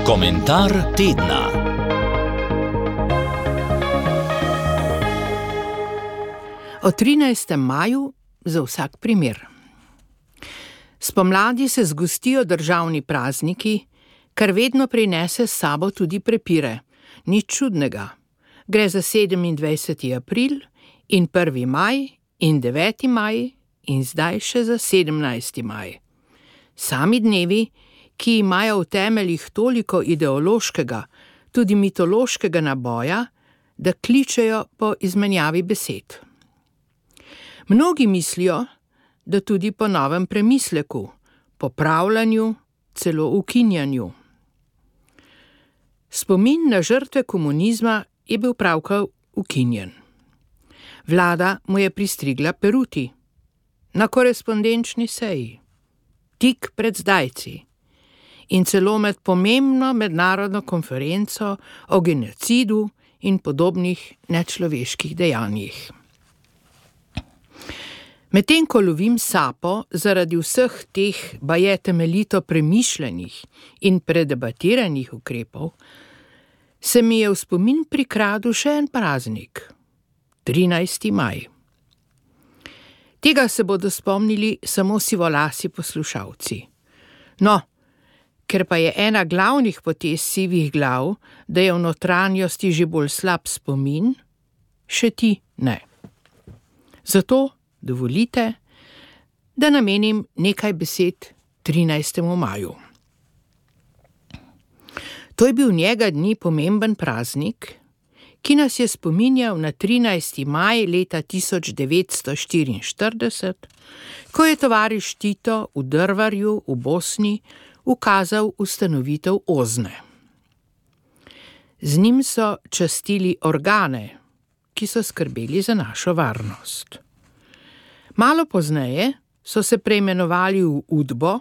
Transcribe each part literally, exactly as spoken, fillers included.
Komentar tedna. O trinajstem maju za vsak primer. Spomladi se zgostijo državni prazniki, kar vedno prinese s sabo tudi prepire. Nič čudnega. Gre za sedemindvajseti april in prvi maj in deveti maj in zdaj še za sedemnajsti maj. Sami dnevi, ki imajo v temeljih toliko ideološkega, tudi mitološkega naboja, da kličejo po izmenjavi besed. Mnogi mislijo, da tudi po novem premisleku, popravljanju, celo ukinjanju. Spomin na žrtve komunizma je bil pravkar ukinjen. Vlada mu je pristrigla peruti na korespondenčni seji, tik pred zdajci in celo med pomembno mednarodno konferenco o genocidu in podobnih nečloveških dejanjih. Medtem ko lovim sapo zaradi vseh teh baje temeljito premišljenih in predebatiranih ukrepov, se mi je v spomin prikradel še en praznik, trinajsti maj. Tega se bodo spomnili samo sivolasi poslušalci. No, ker pa je ena glavnih potez sivih glav, da je v notranjosti že bolj slab spomin, še ti ne. Zato dovolite, da namenim nekaj besed trinajstemu maju. To je bil njega dni pomemben praznik, ki nas je spominjal na trinajsti maj leta tisoč devetsto štiriinštirideset, ko je tovariš Tito v Drvarju v Bosni ukazal ustanovitev Ozne. Z njim so častili organe, ki so skrbeli za našo varnost. Malo pozneje so se preimenovali v Udbo,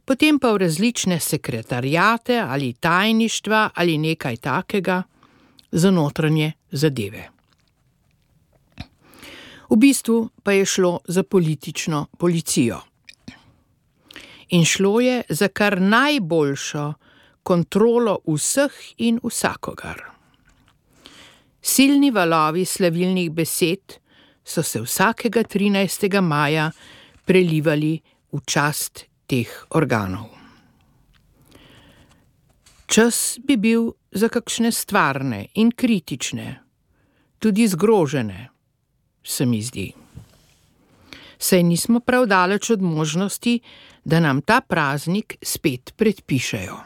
potem pa v različne sekretariate ali tajništva ali nekaj takega za notranje zadeve. V bistvu pa je šlo za politično policijo. In šlo je za kar najboljšo kontrolo vseh in vsakogar. Silni valovi slavilnih besed so se vsakega trinajstega maja prelivali v čast teh organov. Čas bi bil za kakšne stvarne in kritične, tudi zgrožene, se mi zdi. Saj nismo prav daleč od možnosti, da nam ta praznik spet predpišejo.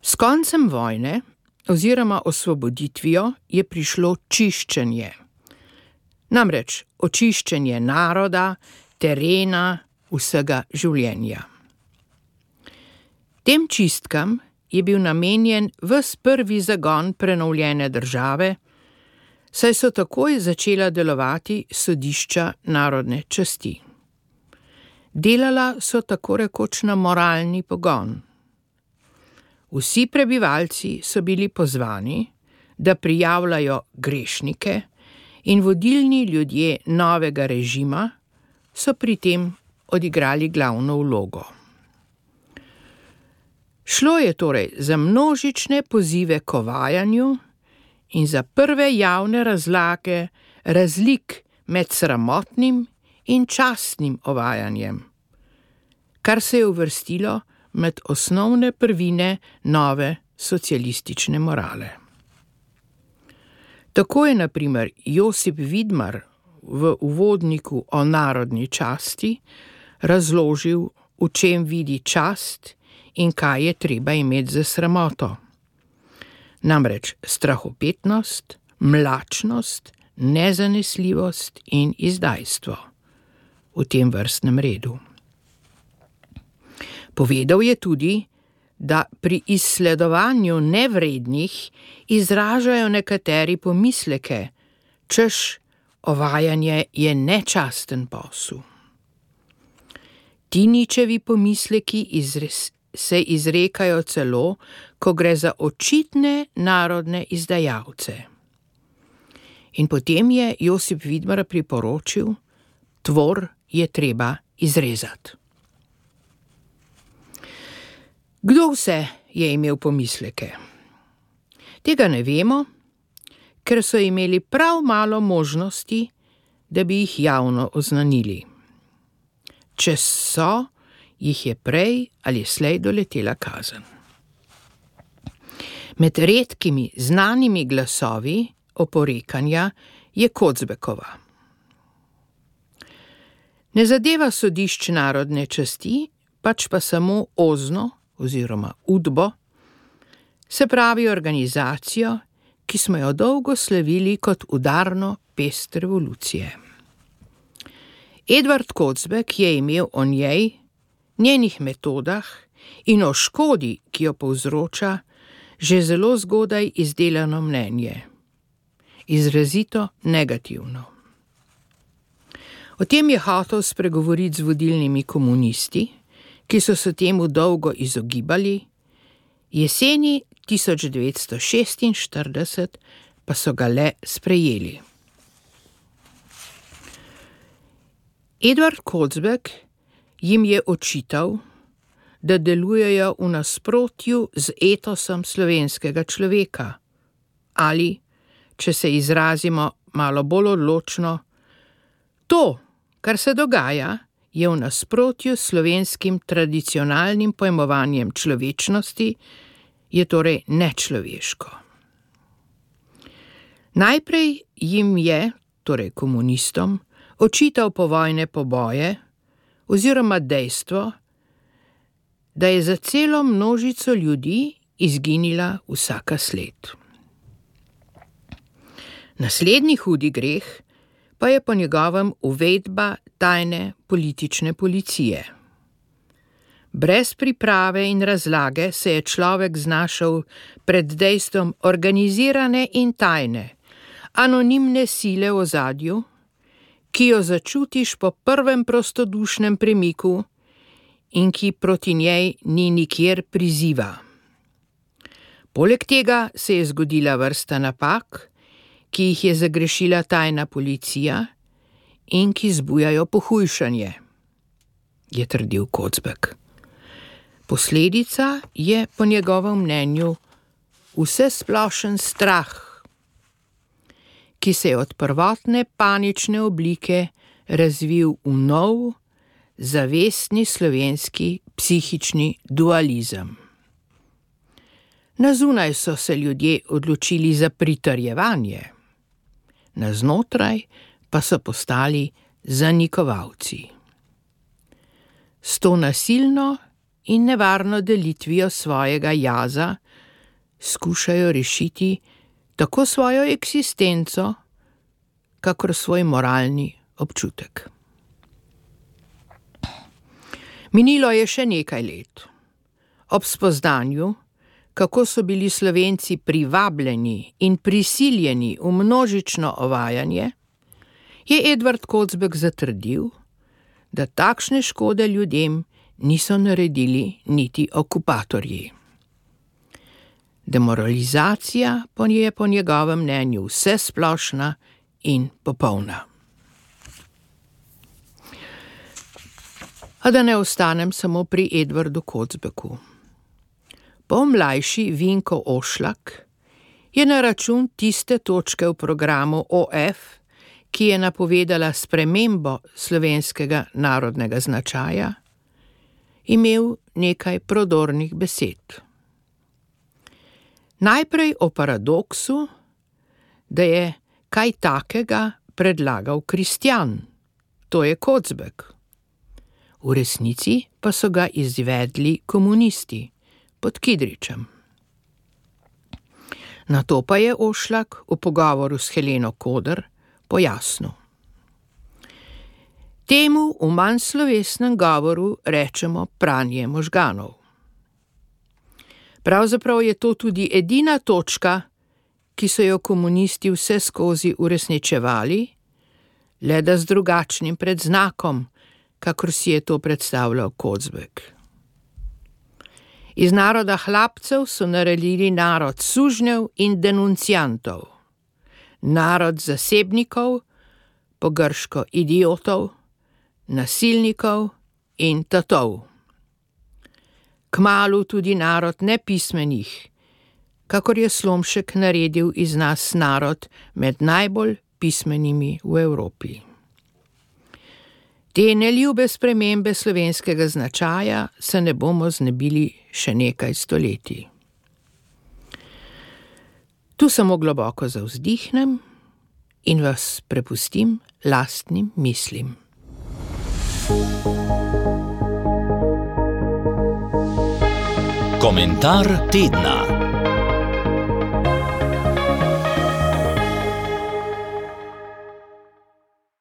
S koncem vojne oziroma osvoboditvijo je prišlo čiščenje. Namreč očiščenje naroda, terena, vsega življenja. Tem čistkam je bil namenjen ves prvi zagon prenovljene države, saj so takoj začela delovati sodišča narodne časti. Delala so tako rekoč na moralni pogon. Vsi prebivalci so bili pozvani, da prijavljajo grešnike in vodilni ljudje novega režima so pri tem odigrali glavno vlogo. Šlo je torej za množične pozive k ovajanju in za prve javne razlage razlik med sramotnim in častnim ovajanjem, kar se je uvrstilo med osnovne prvine nove socialistične morale. Tako je na primer Josip Vidmar v uvodniku o narodni časti razložil, v čem vidi čast in kaj je treba imeti za sramoto. Namreč strahopetnost, mlačnost, nezanesljivost in izdajstvo v tem vrstnem redu. Povedal je tudi, da pri izsledovanju nevrednih izražajo nekateri pomisleke, češ ovajanje je nečasten posel. Ti ničevi pomisleki izres, se izrekajo celo, ko gre za očitne narodne izdajalce. In potem je Josip Vidmar priporočil, tvor je treba izrezati. Kdo vse je imel pomisleke? Tega ne vemo, ker so imeli prav malo možnosti, da bi jih javno oznanili. Če so, jih je prej ali slej doletela kazen. Med redkimi znanimi glasovi oporekanja je Kocbekova. Ne zadeva sodišč narodne časti, pač pa samo Ozno oziroma Udbo, se pravi organizacijo, ki smo jo dolgo slavili kot udarno pest revolucije. Edvard Kocbek je imel o njej, njenih metodah in o škodi, ki jo povzroča, že zelo zgodaj izdelano mnenje. Izrazito negativno. O tem je hotel spregovoriti z vodilnimi komunisti, ki so se temu dolgo izogibali, jeseni tisoč devetsto šestinštirideset pa so ga le sprejeli. Edvard Kocbek jim je očital, da delujejo v nasprotju z etosom slovenskega človeka ali, če se izrazimo malo bolj odločno, to, kar se dogaja, je v nasprotju s slovenskim tradicionalnim pojmovanjem človečnosti, je torej nečloveško. Najprej jim je, torej komunistom, očital povojne poboje oziroma dejstvo, da je za celo množico ljudi izginila vsaka sled. Naslednji hudi greh pa je po njegovem uvedba tajne politične policije. Brez priprave in razlage se je človek znašel pred dejstvom organizirane in tajne, anonimne sile v ozadju, ki jo začutiš po prvem prostodušnem premiku in ki proti njej ni nikjer priziva. Poleg tega se je zgodila vrsta napak, ki jih je zagrešila tajna policija in ki zbujajo pohujšanje, je trdil Kocbek. Posledica je po njegovem mnenju vsesplošen strah, ki se je od prvotne panične oblike razvil v nov, zavestni slovenski psihični dualizem. Na zunaj so se ljudje odločili za pritrjevanje, na znotraj pa so postali zanikovalci. S to nasilno in nevarno delitvijo svojega jaza skušajo rešiti tako svojo eksistenco, kakor svoj moralni občutek. Minilo je še nekaj let. Ob spoznanju, kako so bili Slovenci privabljeni in prisiljeni v množično ovajanje, je Edvard Kocbek zatrdil, da takšne škode ljudem niso naredili niti okupatorji. Demoralizacija pa je po njegovem mnenju vsesplošna in popolna. A da ne ostanem samo pri Edvardu Kocbeku. Pomlajši Vinko Ošlak je na račun tiste točke v programu O F, ki je napovedala spremembo slovenskega narodnega značaja, imel nekaj prodornih besed. Najprej o paradoksu, da je kaj takega predlagal Kristjan, to je Kocbek. V resnici pa so ga izvedli komunisti pod Kidričem. Nato pa je Ošlak v pogovoru s Heleno Koder pojasnil. Temu v manj slovesnem govoru rečemo pranje možganov. Pravzaprav je to tudi edina točka, ki so jo komunisti vse skozi uresničevali, le da z drugačnim predznakom, kakor si je to predstavljal Kocbek. Iz naroda hlapcev so naredili narod sužnjev in denunciantov, narod zasebnikov, po grško idiotov, nasilnikov in tatov. Kmalu tudi narod nepismenih, kakor je Slomšek naredil iz nas narod med najbolj pismenimi v Evropi. Te neljube spremembe slovenskega značaja se ne bomo znebili še nekaj stoletij. Tu samo globoko zavzdihnem in vas prepustim lastnim mislim. Komentar tedna.